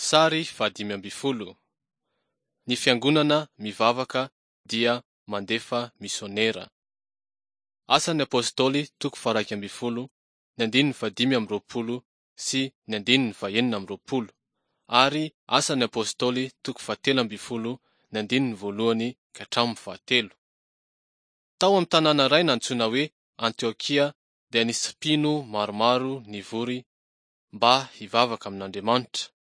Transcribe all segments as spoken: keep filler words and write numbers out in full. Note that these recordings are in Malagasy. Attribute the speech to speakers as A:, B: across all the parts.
A: Sary fahadimy ambin'ny folo. Ny fiangonana mivavaka dia mandefa misionera. Asan'ny Apostoly toko faha-iraika ambin'ny folo, ny andininy fahadimy amby roapolo sy ny andininy fahenina amby roapolo ary Asan'ny Apostoly toko fahatelo ambin'ny folo, ny andininy voalohany ka hatramin'ny fahatelo. Tao amin'ny tanàna iray nantsoina hoe Antiokia dia nisy mpino maromaro nivory mba hivavaka amin'Andriamanitra.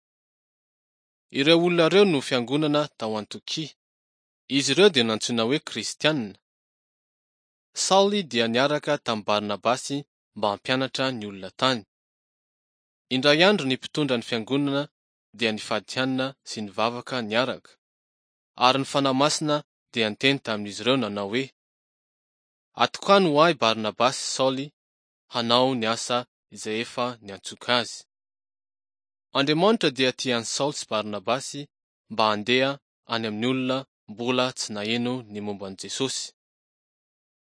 A: Ireo olona ireo no fiangonana tao Antiokia. Izy ireo dia nantsoina hoe Kristiana. Saoly dia niaraka tamin'i Barnabasy mba hampianatra ny olona tany. Indray andro ny mpitondra ny fiangonana dia nifady hanina sy nivavaka niaraka, ary ny Fanahy Masina dia niteny tamin'izy ireo nanao hoe: Atokano ho ahy Barnabasy sy Saoly hanao ny asa izay efa niantsoiko azy. Andriamanitra dia tia an'i Saoly sy Barnabasy mba handeha any amin'ny olona mbola tsy naheno ny momba an'i Jesosy.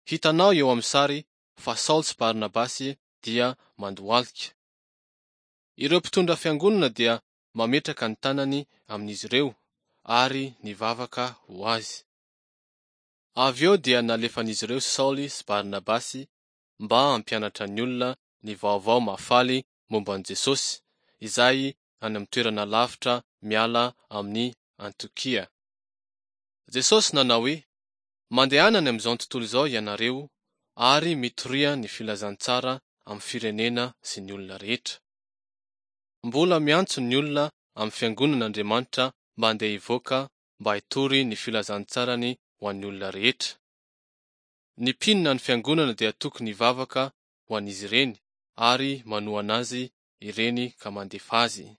A: Hitanao eo amin'ny sary fa Saoly sy Barnabasy dia mandohalika. Ireo mpitondra fiangonana dia mametraka ny tanany amin'izy ireo ary nivavaka ho azy. Avy eo dia nalefan'izy ireo Saoly sy Barnabasy mba hampianatra ny olona ny vaovao mahafaly momba an'i Jesosy, izay any amin'ny toerana lavitra miala amin'i Antiokia. Jesosy nanao hoe: Mandehana any amin'izao tontolo izao ianareo ary mitoria ny filazantsara amin'ny firenena sy ny olona rehetra. Mbola miantso ny olona amin'ny fiangonana Andriamanitra mba handeha hivoaka mba hitory ny filazantsarany ho an'ny olona rehetra. Ny mpino na ny fiangonana dia tokony hivavaka ho an'izy ireny ary manohana azy ireny ka mandefa azy.